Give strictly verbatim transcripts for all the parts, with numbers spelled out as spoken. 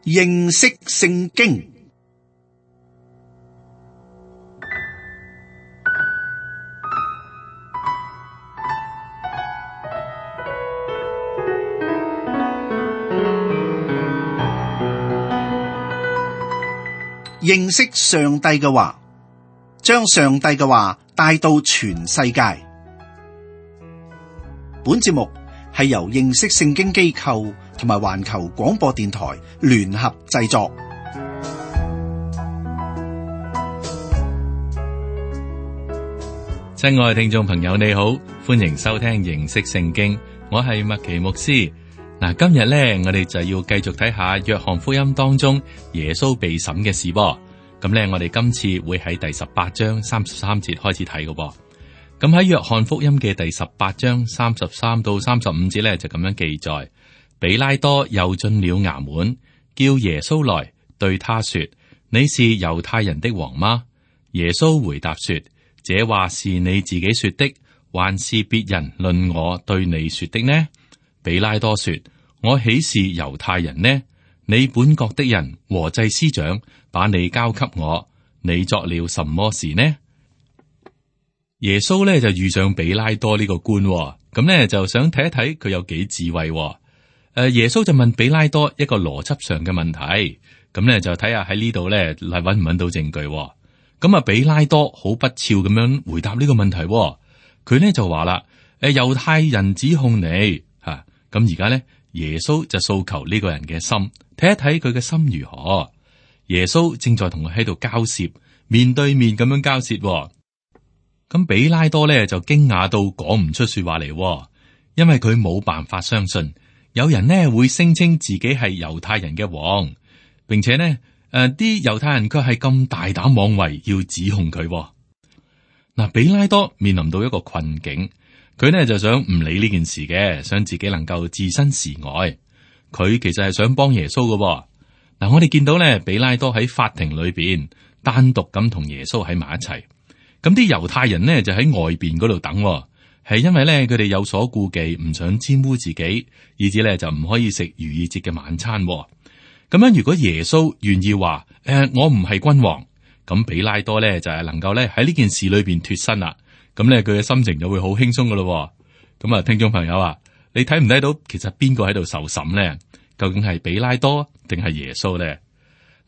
認識聖經。認識上帝嘅話，將上帝嘅話帶到全世界。本節目係由認識聖經機構同埋環球廣播電台聯合製作。親愛嘅聽眾朋友，你好，歡迎收聽認識聖經，我係麥奇牧師。嗱，今日咧，我哋就要繼續睇下約翰福音當中耶穌被審嘅事噃。咁咧，我哋今次會喺第十八章三十三節開始睇嘅噃。咁喺約翰福音嘅第十八章三十三到三十五節咧，就咁樣記載：比拉多又進了衙門，叫耶穌來，對他說：你是猶太人的王嗎？耶穌回答說：這話是你自己說的，還是別人論我對你說的呢？比拉多說：我豈是猶太人呢？你本國的人和祭司長把你交給我，你作了什麼事呢？耶穌咧就遇上比拉多呢個官，咁咧就想睇一睇佢有幾智慧。誒，耶穌就問比拉多一個邏輯上嘅問題，咁咧就睇下喺呢度咧嚟搵唔搵到證據。咁啊，比拉多好不肖咁樣回答呢個問題，佢咧就話啦：誒，猶太人指控你吓，咁而家咧。耶穌就訴求呢個人嘅心，睇一睇佢嘅心如何。耶穌正在同佢喺度交涉，面對面咁樣交涉。咁比拉多咧就驚訝到講唔出說話嚟，因為佢冇辦法相信有人呢會聲稱自己係猶太人嘅王，並且呢誒啲猶太人卻係咁大膽妄為要指控佢。嗱，比拉多面臨到一個困境。佢呢就想唔理呢件事嘅，想自己能夠置身事外。佢其實係想幫耶穌嘅。嗱，我哋見到呢，比拉多喺法庭裏邊單獨咁同耶穌喺埋一齊。咁啲猶太人呢就喺外邊嗰度等，係因為呢，佢哋有所顧忌，唔想沾污自己，以至呢就唔可以食逾越節嘅晚餐。咁樣如果耶穌願意話誒、呃，我唔係君王，咁比拉多呢就係能夠呢喺呢件事裏邊脫身啦。咁咧，佢嘅心情就會好輕鬆噶咯。咁啊，聽眾朋友啊，你睇唔睇到其實邊個喺度受審咧？究竟係比拉多定係耶穌咧？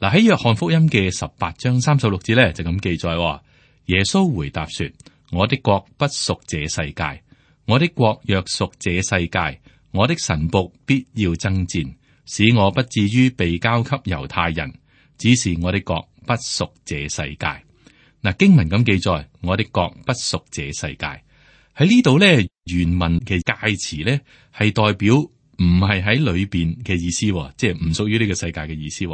嗱，喺約翰福音嘅十八章三十六節咧就咁記載：耶穌回答說：我的國不屬這世界，我的國若屬這世界，我的臣僕必要爭戰，使我不至於被交給猶太人。只是我的國不屬這世界。嗱，經文咁記載，我的國不屬這世界。喺呢度咧，原文嘅介詞咧係代表唔係喺裏邊嘅意思，即係唔屬於呢個世界嘅意思。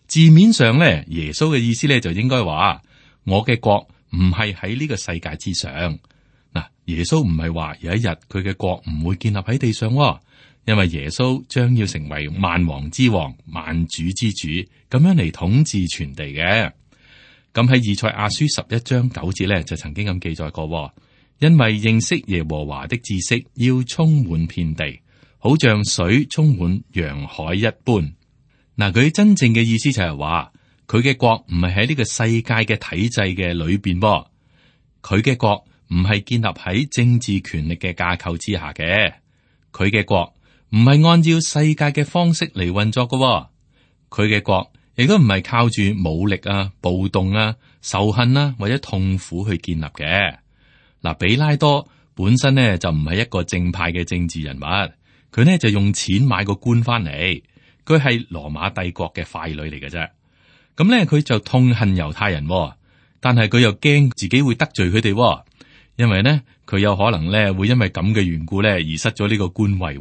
字面上咧，耶穌嘅意思咧就應該話：我嘅國唔係喺呢個世界之上。嗱，耶穌唔係話有一日佢嘅國唔會建立喺地上，因為耶穌將要成為萬王之王、萬主之主，咁樣嚟統治全地嘅。咁喺以賽亞書十一章九節咧，就曾經咁記載過，因為認識耶和華的知識要充滿遍地，好像水充滿洋海一般。嗱，佢真正嘅意思就係話，佢嘅國唔係喺呢個世界嘅體制嘅裏邊噃，佢嘅國唔係建立喺政治權力嘅架構之下嘅，佢嘅國唔係按照世界嘅方式嚟運作嘅，佢嘅國。亦都唔係靠住武力啊、暴動啊、仇恨啊或者痛苦去建立嘅。嗱，比拉多本身呢就唔係一個正派嘅政治人物，佢呢就用錢買個官翻嚟，佢係羅馬帝國嘅傀儡嚟嘅啫。咁呢，佢就痛恨猶太人，但係佢又驚自己會得罪佢哋，因為呢，佢有可能呢會因為咁嘅緣故呢而失咗呢個官位。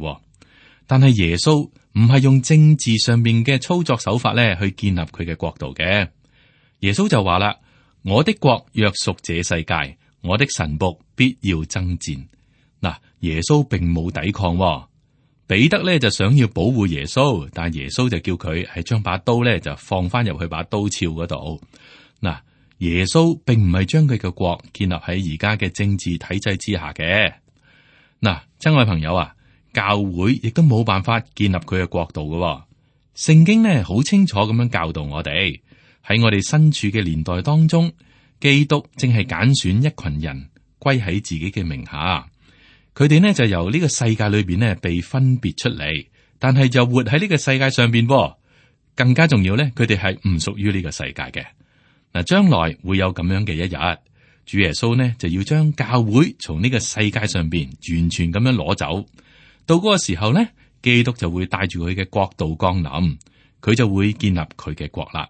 但係耶穌唔係用政治上面嘅操作手法咧去建立佢嘅國度嘅。耶穌就話啦：我的國若屬這世界，我的臣僕必要爭戰。嗱，耶穌並冇抵抗。彼得咧就想要保護耶穌，但耶穌就叫佢係將把刀咧就放翻入去把刀鞘嗰度。嗱，耶穌並唔係將佢嘅國建立喺而家嘅政治體制之下嘅。嗱，親愛朋友啊，教會亦都冇辦法建立佢嘅國度嘅。聖經呢好清楚咁樣教導我哋，喺我哋身處嘅年代當中，基督正係揀選一群人歸喺自己嘅名下。佢哋呢就由呢個世界裏邊呢被分別出嚟，但係就活喺呢個世界上邊噃。更加重要呢，佢哋係唔屬於呢個世界嘅。嗱，將來會有咁樣嘅一日，主耶穌呢就要將教會從呢個世界上邊完全咁樣攞走。到嗰個時候呢，基督就會帶住佢嘅國度降臨，佢就會建立佢嘅國啦。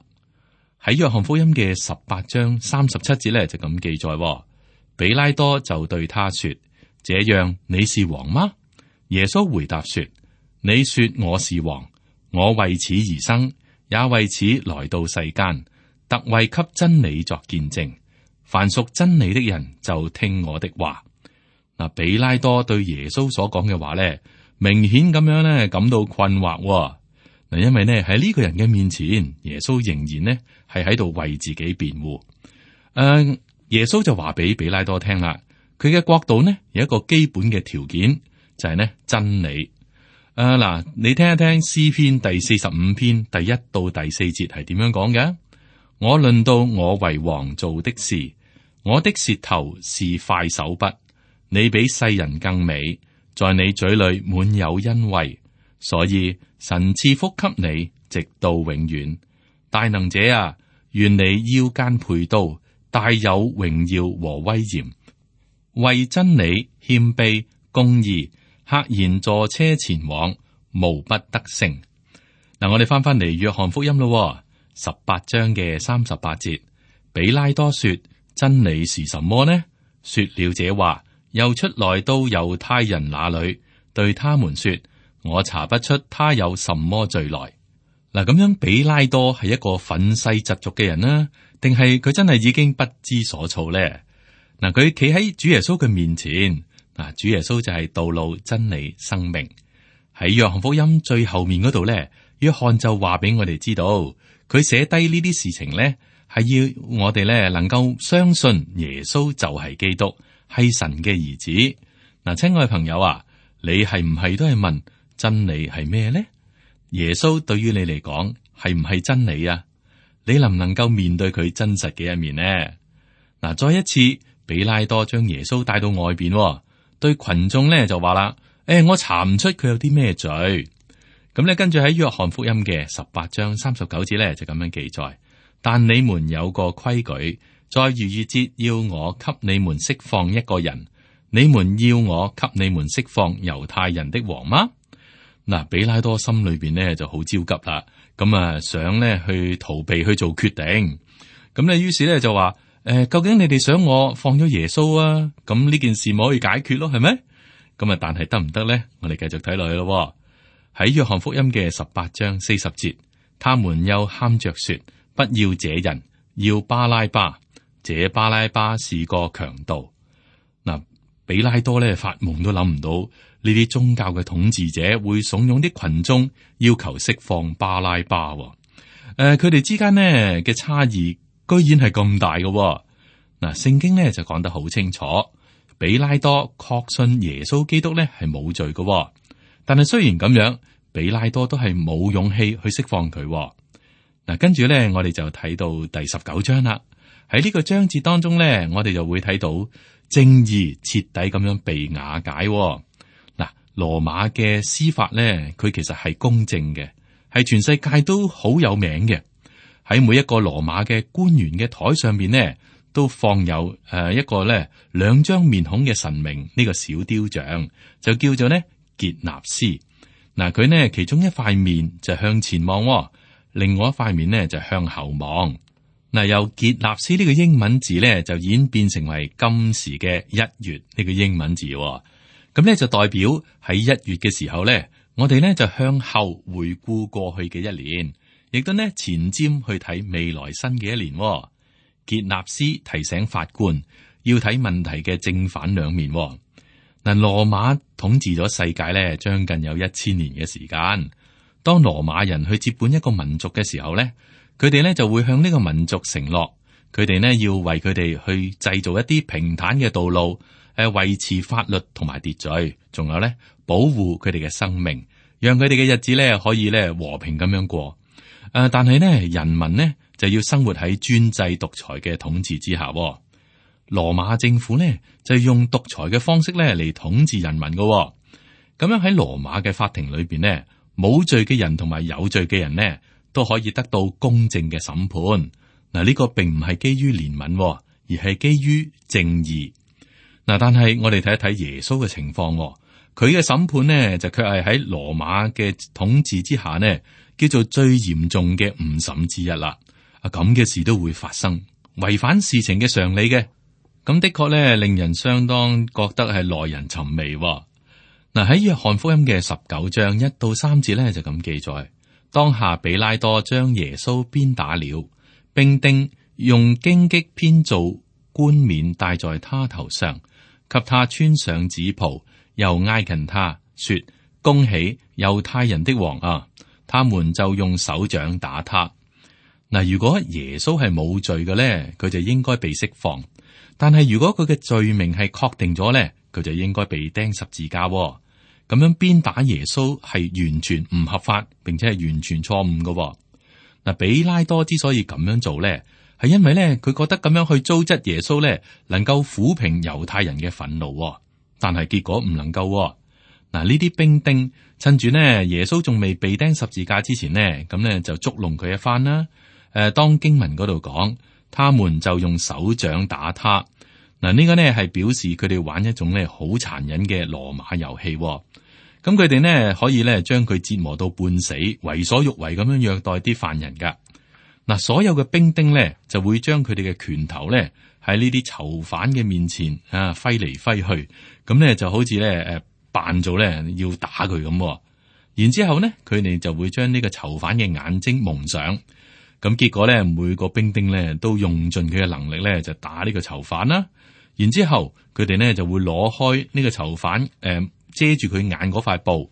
喺約翰福音嘅十八章三十七節呢，就咁記載，比拉多就對他說：這樣你是王嗎？耶穌回答說：你說我是王。我為此而生，也為此來到世間，特為給真理作見證。凡屬真理的人就聽我的話。嗱，比拉多對耶穌所講嘅話咧，明顯咁樣咧感到困惑。嗱，因為呢喺呢個人嘅面前，耶穌仍然呢係喺度為自己辯護。誒、呃，耶穌就話俾比拉多聽啦，佢嘅國度呢有一個基本嘅條件，就係、是、呢真理。誒，嗱，你聽一聽詩篇第四十五篇第一到第四節係點樣講嘅？我論到我為王做的事，我的舌頭是快手筆，你比世人更美，在你嘴裏滿有恩惠，所以神賜福給你，直到永遠。大能者啊，願你腰間佩刀，大有榮耀和威嚴，為真理謙卑公義，赫然坐車前往，無不得勝。嗱，我哋翻翻嚟約翰福音咯，十八章嘅三十八節，比拉多說：真理是什麼呢？說了這話，又出來到猶太人那裏，對他們說：我查不出他有什麼罪來。嗱，咁樣比拉多係一個憤世嫉俗嘅人啦，定係佢真係已經不知所措咧？嗱，佢企喺主耶穌嘅面前。嗱，主耶穌就係道路、真理、生命。喺約翰福音最後面嗰度咧，約翰就話俾我哋知道，佢寫低呢啲事情咧，係要我哋咧能夠相信耶穌就係基督，係神嘅兒子。嗱，親愛朋友啊，你係唔係都係問真理係咩咧？耶穌對於你嚟講係唔係真理啊？你能唔能夠面對佢真實嘅一面呢？嗱，再一次，比拉多將耶穌帶到外邊。對群眾咧就話啦，誒、欸，我查唔出佢有啲咩罪。咁咧，跟住喺約翰福音嘅十八章三十九節咧就咁樣記載。但你們有個規矩，在逾越節要我給你們釋放一個人，你們要我給你們釋放猶太人的王嗎？嗱，比拉多心裏邊呢就好焦急啦，咁啊想咧去逃避去做決定。咁咧於是咧就話。誒，究竟你哋想我放咗耶穌啊？咁呢件事冇可以解決咯，係咪？咁啊，但係得唔得咧？我哋繼續睇落去咯。喺約翰福音嘅十八章四十節，他們又喊着說：不要這人，要巴拉巴。這巴拉巴是個強盜。嗱，比拉多咧發夢都諗唔到呢啲宗教嘅統治者會慫恿啲群眾要求釋放巴拉巴。誒、呃，佢哋之間呢嘅差異。居然係咁大嘅。哦，嗱，聖經咧就講得好清楚，比拉多確信耶穌基督咧係冇罪嘅。哦，但係雖然咁樣，比拉多都係冇勇氣去釋放佢。哦。嗱，跟住咧，我哋就睇到第十九章啦。喺呢個章節當中咧，我哋就會睇到正義徹底咁樣被瓦解。哦。嗱，羅馬嘅司法咧，佢其實係公正嘅，係全世界都好有名嘅。喺每一個羅馬嘅官員嘅台上面呢，都放有誒一個咧兩張面孔嘅神明呢，這個小雕像，就叫做呢傑納斯。嗱，佢呢其中一塊面就向前望，哦，另外一塊面呢就向後望。嗱，由傑納斯呢個英文字呢，就演變成為今時嘅一月呢個英文字，哦。咁呢就代表喺一月嘅時候呢，我哋呢就向後回顧過去嘅一年。亦都呢前瞻去睇未來新嘅一年。哦，傑納斯提醒法官要睇問題嘅正反兩面。哦。嗱，羅馬統治咗世界咧，將近有一千年嘅時間。當羅馬人去接管一個民族嘅時候咧，佢哋咧就會向呢個民族承諾，佢哋呢要為佢哋去製造一啲平坦嘅道路，誒維持法律同埋秩序，仲有咧保護佢哋嘅生命，讓佢哋嘅日子咧可以咧和平咁樣過。誒、呃，但係呢，人民呢就要生活喺專制獨裁嘅統治之下。羅馬政府呢就用獨裁嘅方式咧嚟統治人民嘅。咁樣喺羅馬嘅法庭裏邊呢，冇罪嘅人同埋有罪嘅人呢都可以得到公正嘅審判。嗱，呢個並唔係基於憐憫，而係基於正義。嗱，但係我哋睇一睇耶穌嘅情況，佢嘅審判呢就卻係喺羅馬嘅統治之下呢，叫做最嚴重嘅誤審之一啦。啊，咁嘅事都會發生，違反事情嘅常理嘅，咁的確咧令人相當覺得係耐人尋味。嗱，喺約翰福音嘅十九章一到三節咧就咁記載：當下比拉多將耶穌鞭打了，兵丁用荊棘編造冠冕戴在他頭上，給他穿上紫袍，又挨近他說：恭喜猶太人的王啊！他們就用手掌打他。嗱，如果耶穌係冇罪嘅咧，佢就應該被釋放；但係如果佢嘅罪名係確定咗咧，佢就應該被釘十字架。咁樣鞭打耶穌係完全唔合法，並且係完全錯誤嘅。嗱，比拉多之所以咁樣做咧，係因為咧佢覺得咁樣去糟質耶穌咧，能夠撫平猶太人嘅憤怒。但係結果唔能夠。嗱，呢啲兵丁趁住呢耶穌仲未被釘十字架之前呢，咁咧就捉弄佢一番啦。誒，當經文嗰度講，他們就用手掌打他。嗱，呢個呢係表示佢哋玩一種咧好殘忍嘅羅馬遊戲。咁佢哋呢可以咧將佢折磨到半死，為所欲為咁樣虐待啲犯人噶。嗱，所有嘅兵丁呢就會將佢哋嘅拳頭咧喺呢啲囚犯嘅面前啊揮嚟揮去，咁咧就好似咧誒扮做咧要打佢咁。然之後呢，佢哋就會將呢個囚犯嘅眼睛蒙上。咁結果咧，每個兵丁咧都用盡佢嘅能力咧，就打呢個囚犯啦。然之後佢哋呢就會攞開呢個囚犯誒、呃、遮住佢眼嗰塊布。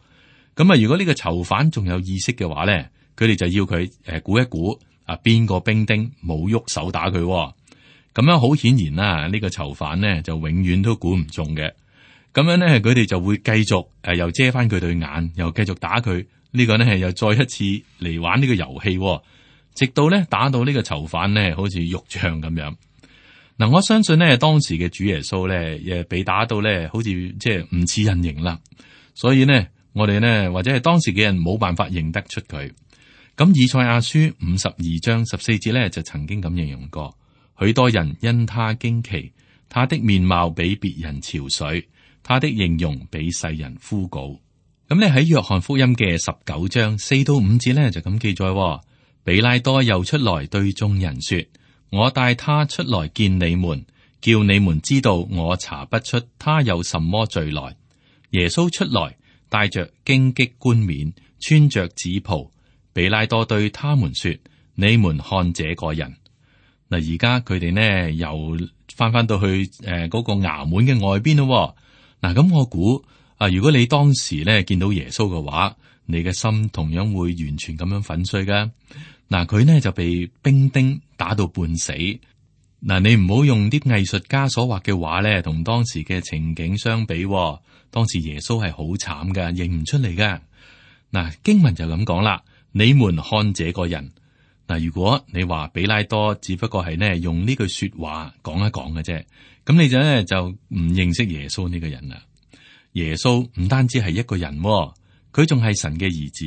咁啊，如果呢個囚犯仲有意識嘅話咧，佢哋就要佢誒估一估啊邊個兵丁冇喐手打佢。咁樣好顯然啦，呢、呢個囚犯呢就永遠都估唔中嘅。咁樣咧，佢哋就會繼續誒、呃、又遮翻佢對眼，又繼續打佢。呢、呢個呢又再一次嚟玩呢個遊戲。直到咧打到呢個囚犯咧，好似肉醬咁樣。嗱，我相信咧當時嘅主耶穌咧，誒被打到咧，好似即係唔似人形啦。所以呢，我哋呢，或者係當時嘅人冇辦法認得出佢。咁以賽亞書五十二章十四節咧，就曾經咁形容過：許多人因他驚奇，他的面貌比別人憔悴，他的形容比世人枯槁。咁咧喺約翰福音嘅十九章四到五節咧，就咁記載。比拉多又出來對眾人說：我帶他出來見你們，叫你們知道我查不出他有什麼罪來。耶穌出來，帶着荊棘冠冕，穿着紫袍。比拉多對他們說：你們看這個人。嗱，而家佢哋呢又翻翻到去誒嗰、呃那個衙門嘅外邊咯。嗱，咁我估啊，如果你當時咧見到耶穌嘅話，你嘅心同樣會完全咁樣粉碎噶。嗱，佢呢就被兵丁打到半死。嗱，你唔好用啲藝術家所畫嘅畫咧，同當時嘅情景相比。當時耶穌係好慘噶，認唔出嚟噶。嗱，經文就咁講啦，你們看這個人。嗱，如果你話比拉多只不過係呢用呢句說話講一講嘅啫，咁你就咧就唔認識耶穌呢個人啦。耶穌唔單止係一個人，佢仲係神嘅兒子，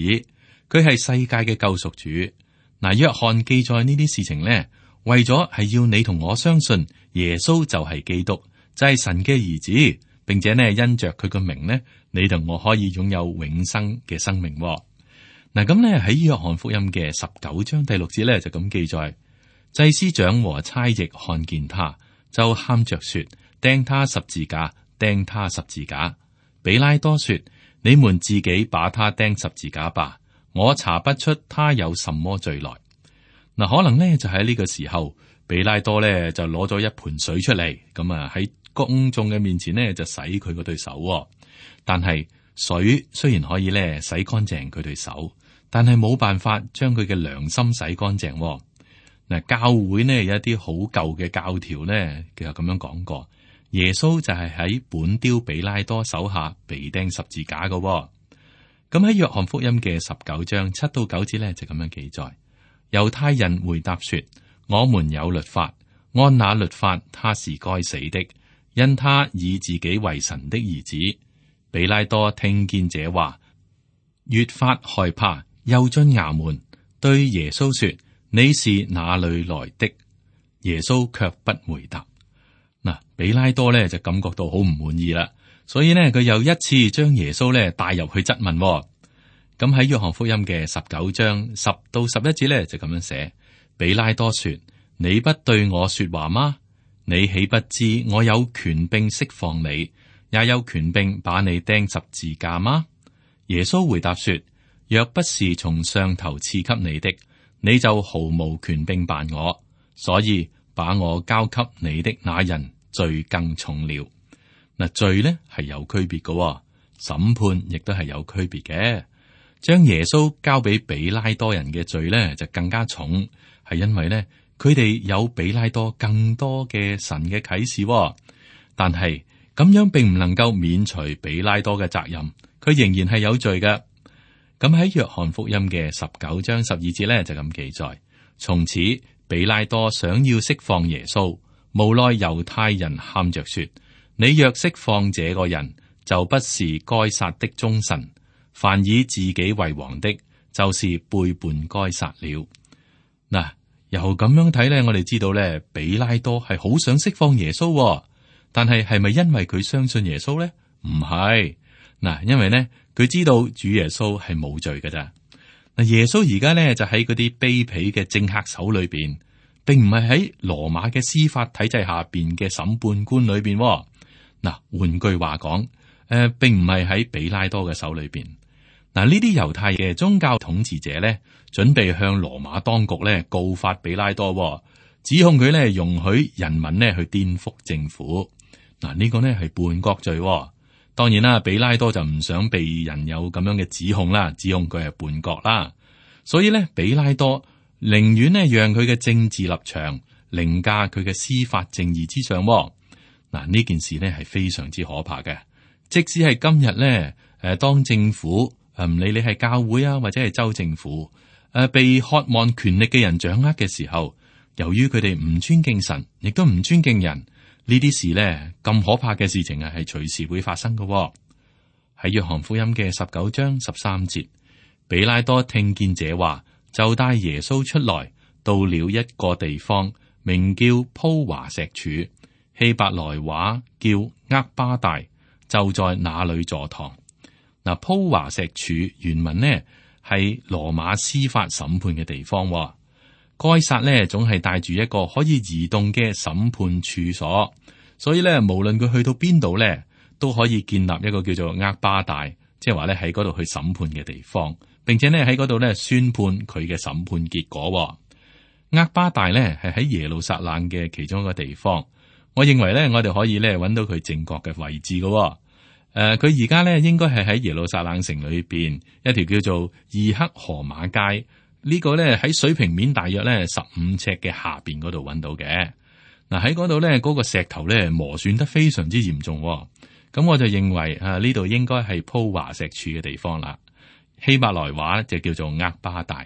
佢係世界嘅救贖主。嗱，約翰記載呢啲事情咧，為咗係要你同我相信耶穌就係基督，就係神嘅兒子，並且呢因着佢個名呢，你同我可以擁有永生嘅生命。嗱，咁咧喺約翰福音嘅十九章第六節咧就咁記載：祭司長和差役看見他，就喊着說：釘他十字架，釘他十字架。比拉多說：你們自己把他釘十字架吧。我查不出他有什麼罪來。嗱，可能呢就喺呢個時候，比拉多呢就攞咗一盆水出嚟，咁啊喺公眾嘅面前呢就洗佢嗰對手。但係水雖然可以呢洗乾淨佢對手，但係冇辦法將佢嘅良心洗乾淨。嗱，教會呢有一啲好舊嘅教條呢，其實咁樣講過，耶穌就係喺本丟比拉多手下被釘十字架嘅。咁喺約翰福音嘅十九章七到九節呢，就咁樣記載：猶太人回答說，我們有律法，按那律法他是該死的，因他以自己為神的兒子。比拉多聽見這話，越發害怕，又進衙門對耶穌說，你是哪裏來的？耶穌卻不回答。嗱，比拉多咧就感覺到好唔滿意啦，所以呢，佢又一次將耶穌咧帶入去質問。咁喺約翰福音嘅十九章十到十一節咧就咁樣寫：比拉多說，你不對我說話嗎？你豈不知我有權柄釋放你，也有權柄把你釘十字架嗎？耶穌回答說，若不是從上頭賜給你的，你就毫無權柄辦我，所以把我交給你的那人罪更重了。嗱，罪呢係有區別嘅，審判亦都係有區別嘅。將耶穌交俾比拉多人嘅罪呢就更加重，係因為呢佢哋有比拉多更多嘅神嘅啟示，但係咁樣並唔能夠免除比拉多嘅責任，佢仍然係有罪嘅。咁喺約翰福音嘅十九章十二節咧就咁記載：從此比拉多想要釋放耶穌，無奈猶太人喊着說：你若釋放這個人，就不是該撒的忠臣。凡以自己為王的，就是背叛該撒了。嗱，由咁樣睇咧，我哋知道咧，比拉多係好想釋放耶穌。但係係咪因為佢相信耶穌咧？唔係，嗱，因為咧佢知道主耶穌係冇罪㗎咋。嗱，耶穌而家咧就喺嗰啲卑鄙嘅政客手裏邊，並唔係喺羅馬嘅司法體制下邊嘅審判官裏邊。嗱，換句話講，誒、呃，並唔係喺比拉多嘅手裏邊。嗱，呢啲猶太嘅宗教統治者咧，準備向羅馬當局咧告發比拉多，指控佢咧容許人民咧去顛覆政府。嗱，呢個呢係叛國罪。當然啦，比拉多就唔想被人有咁樣嘅指控啦，指控佢係叛國啦。所以呢，比拉多寧願呢讓佢嘅政治立場凌駕佢嘅司法正義之上。嗱，呢件事呢係非常之可怕嘅。即使係今日呢，誒，當政府誒唔理你係教會啊，或者係州政府誒，被渴望權力嘅人掌握嘅時候，由於佢哋唔尊敬神，亦都唔尊敬人。呢啲事呢，咁可怕嘅事情啊，係隨時會發生嘅。喺約翰福音嘅十九章十三節，比拉多聽見這話，就帶耶穌出來，到了一個地方，名叫鋪華石柱，希伯來話叫厄巴大，就在那裏坐堂。嗱，鋪華石柱原文呢係羅馬司法審判嘅地方。該撒呢總係帶住一個可以移動嘅審判處所，所以咧無論佢去到邊度咧，都可以建立一個叫做厄巴大，即係話咧喺嗰度去審判嘅地方，並且咧喺嗰度咧宣判佢嘅審判結果。厄巴大咧係喺耶路撒冷嘅其中一個地方，我認為咧我哋可以咧揾到佢正確嘅位置嘅。誒、呃，佢而家咧應該係喺耶路撒冷城裏邊一條叫做二克河馬街。呢個咧喺水平面大約咧十五尺嘅下邊嗰度揾到嘅。嗱，喺嗰度咧嗰個石頭咧磨損得非常之嚴重，咁我就認為啊呢度應該係鋪華石柱嘅地方啦。希伯來話就叫做厄巴大。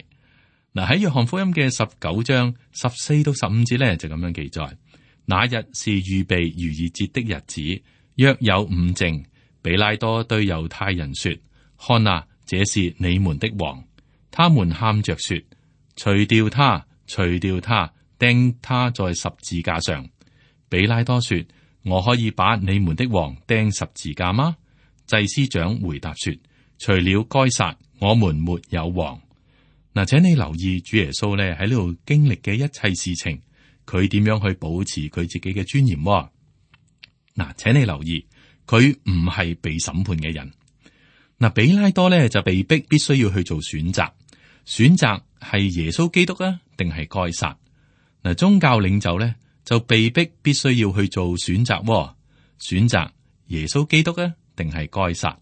嗱，喺約翰福音嘅十九章十四到十五節咧就咁樣記載：那日是預備逾越節的日子，約有午正，比拉多對猶太人說：看啊，這是你們的王。他們喊着說：除掉他，除掉他，釘他在十字架上。比拉多說：我可以把你們的王釘十字架嗎？祭司長回答說：除了該撒，我們沒有王。嗱，請你留意主耶穌咧喺呢度經歷嘅一切事情，佢點樣去保持佢自己嘅尊嚴？嗱，請你留意，佢唔係被審判嘅人。嗱，比拉多咧就被逼必須要去做選擇。選擇係耶穌基督啊，定係該撒？嗱，宗教領袖咧就被逼必須要去做選擇，選擇耶穌基督啊，定係該撒？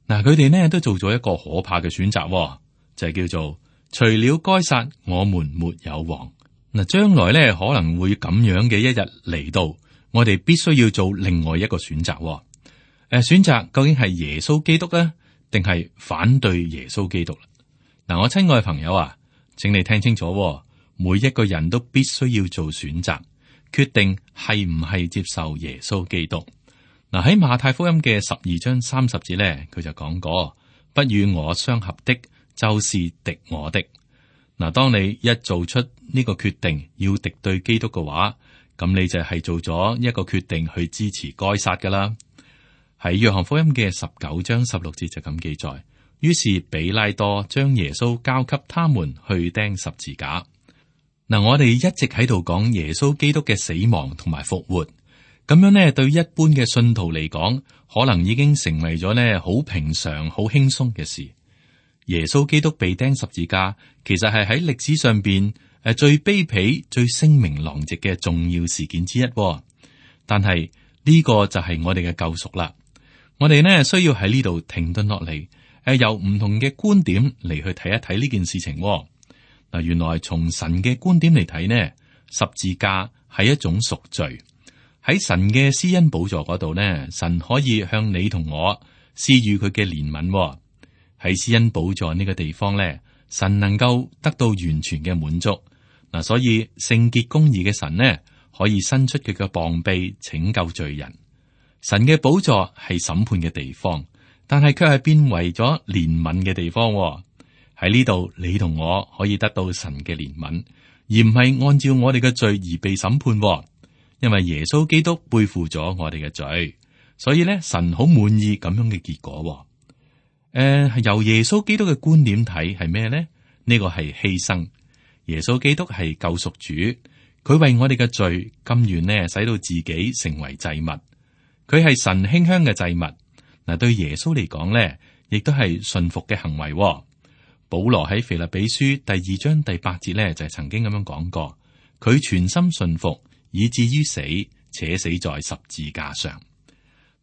嗱，佢哋呢都做咗一個可怕嘅選擇，就係叫做除了該撒，我們沒有王。嗱，將來咧可能會咁樣嘅一日嚟到，我哋必須要做另外一個選擇。誒，選擇究竟係耶穌基督啊，定係反對耶穌基督啦？嗱，我親愛嘅朋友啊，請你聽清楚喎，每一個人都必須要做選擇，決定係唔係接受耶穌基督。嗱，喺馬太福音嘅十二章三十節咧，佢就講過：不與我相合的，就是敵我的。嗱，當你一做出呢個決定要敵對基督嘅話，咁你就係做咗一個決定去支持該撒噶啦。喺約翰福音嘅十九章十六節就咁記載，於是比拉多將耶穌交給他們去釘十字架。嗱，我哋一直喺度講耶穌基督嘅死亡同埋復活。咁樣呢，對一般嘅信徒嚟講，可能已經成為咗呢好平常、好輕鬆嘅事。耶穌基督被釘十字架，其實係喺歷史上邊誒最卑鄙、最聲名狼藉嘅重要事件之一。但係呢個就係我哋嘅救贖啦。我哋呢需要喺呢度停頓落嚟，誒由唔同嘅觀點嚟去睇一睇呢件事情。嗱，原來從神嘅觀點嚟睇呢，十字架係一種贖罪。喺神嘅施恩寶座嗰度呢，神可以向你同我施予佢嘅憐憫。喺施恩寶座呢個地方呢，神能夠得到完全嘅滿足。嗱，所以聖潔公義嘅神呢，可以伸出佢嘅膀臂拯救罪人。神嘅寶座係審判嘅地方，但係卻係變為咗憐憫嘅地方。喺呢度，你同我可以得到神嘅憐憫，而唔係按照我哋嘅罪而被審判。因為耶穌基督背負咗我哋嘅罪，所以咧神好滿意咁樣嘅結果。誒、呃，由耶穌基督嘅觀點睇係咩咧？呢個係犧牲。耶穌基督係救贖主，佢為我哋嘅罪甘願呢，使到自己成為祭物。佢係神馨香嘅祭物。嗱，對耶穌嚟講咧，亦都係順服嘅行為。保羅喺腓立比書第二章第八節咧，就係曾經咁樣講過，佢全心順服，以至於死，且死在十字架上。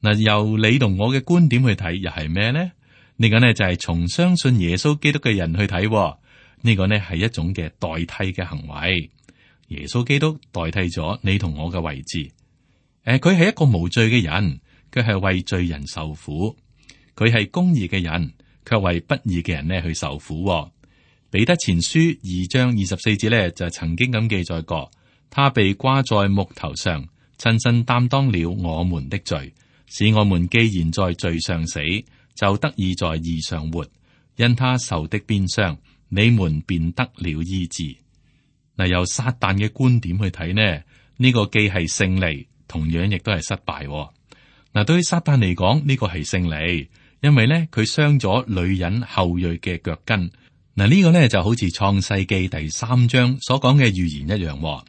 嗱，由你同我嘅觀點去睇，又係咩呢？呢個呢就係從相信耶穌基督嘅人去睇，呢個呢係一種嘅代替嘅行為。耶穌基督代替咗你同我嘅位置。誒，佢係一個無罪嘅人，佢係為罪人受苦；佢係公義嘅人，卻為不義嘅人呢去受苦。彼得前書二章二十四節呢，就曾經咁記載過。他被掛在木頭上，親身擔當了我們的罪，使我們既然在罪上死，就得以在義上活。因他受的鞭傷，你們便得了醫治。嗱，由撒旦嘅觀點去睇呢，呢個既係勝利，同樣亦都係失敗。嗱，對於撒旦嚟講，呢個係勝利，因為呢，佢傷咗女人後裔嘅腳跟。嗱，呢個呢就好似創世記第三章所講嘅預言一樣。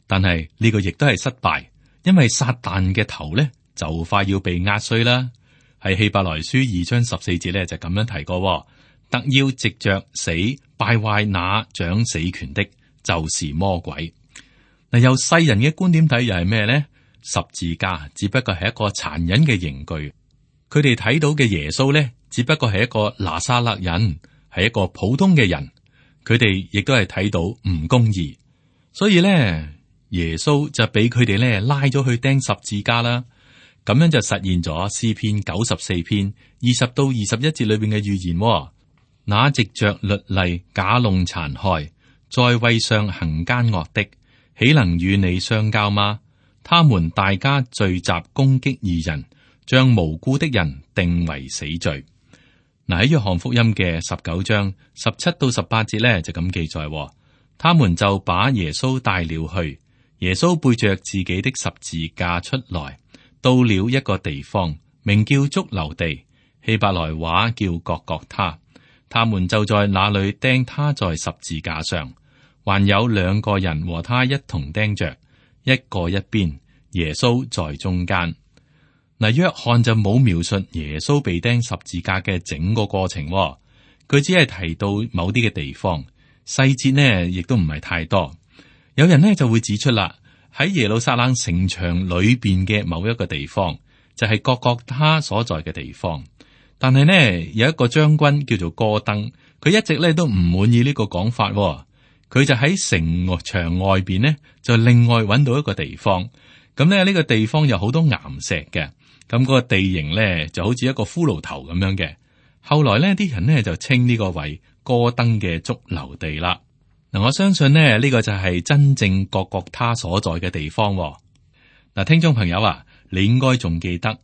但係呢個亦都係失敗，因為撒旦嘅頭咧就快要被壓碎啦。喺希伯來書二章十四節咧就咁樣提過，特要藉着死敗壞那掌死權的，就是魔鬼。嗱，由世人嘅觀點睇又係咩咧？十字架只不過係一個殘忍嘅刑具，佢哋睇到嘅耶穌咧只不過係一個拿撒勒人，係一個普通嘅人，佢哋亦都係睇到唔公義，所以咧。耶穌就俾佢哋咧拉咗去釘十字架啦，咁樣就實現咗詩篇九十四篇二十到二十一節裏邊嘅預言。那藉着律例假弄殘害，在位上行奸惡的，豈能與你相交嗎？他們大家聚集攻擊義人，將無辜的人定為死罪。嗱，喺約翰福音嘅十九章十七到十八節咧就咁記載，他們就把耶穌帶了去。耶穌背着自己的十字架出來，到了一個地方，名叫髑髏地，希伯來話叫各各他。他們就在那裏釘他在十字架上，還有兩個人和他一同釘着，一個一邊，耶穌在中間。嗱，約翰就冇描述耶穌被釘十字架嘅整個過程，佢只係提到某啲嘅地方，細節呢亦都唔係太多。有人呢就會指出啦，喺耶路撒冷城牆裏邊嘅某一個地方，就係各各他所在嘅地方。但係呢，有一個將軍叫做哥登，佢一直咧都唔滿意呢個講法，佢就喺城牆外邊呢，就另外揾到一個地方。咁咧呢個地方有好多岩石嘅，咁嗰個地形咧就好似一個骷髏頭咁樣嘅，後來呢啲人呢就稱呢個為哥登嘅髑髏地啦。嗱，我相信呢呢個就係真正各各他所在嘅地方。嗱，聽眾朋友啊，你應該仲記得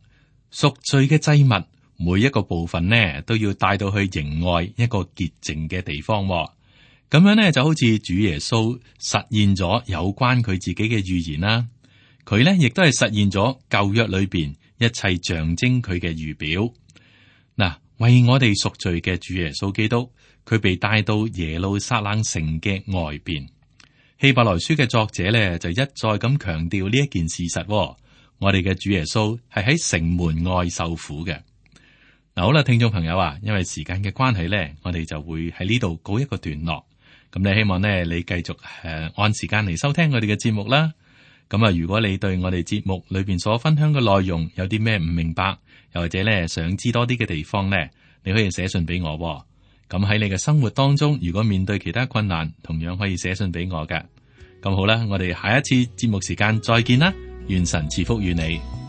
贖罪嘅祭物每一個部分呢都要帶到去營外一個潔淨嘅地方。咁樣呢就好似主耶穌實現咗有關佢自己嘅預言啦。佢呢亦都係實現咗舊約裏邊一切象徵佢嘅預表。嗱，為我哋贖罪嘅主耶穌基督，佢被帶到耶路撒冷城嘅外邊。希伯來書嘅作者咧就一再咁強調呢一件事實。我哋嘅主耶穌係喺城門外受苦嘅。嗱，好啦，聽眾朋友啊，因為時間嘅關係咧，我哋就會喺呢度告一個段落。咁你希望呢，你繼續誒、呃、按時間嚟收聽我哋嘅節目啦。咁啊，如果你對我哋節目裏邊所分享嘅內容有啲咩唔明白，又或者咧想知多啲嘅地方咧，你可以寫信俾我。咁喺你嘅生活當中，如果面對其他困難，同樣可以寫信俾我嘅。咁好啦，我哋下一次節目時間再見啦，願神賜福與你。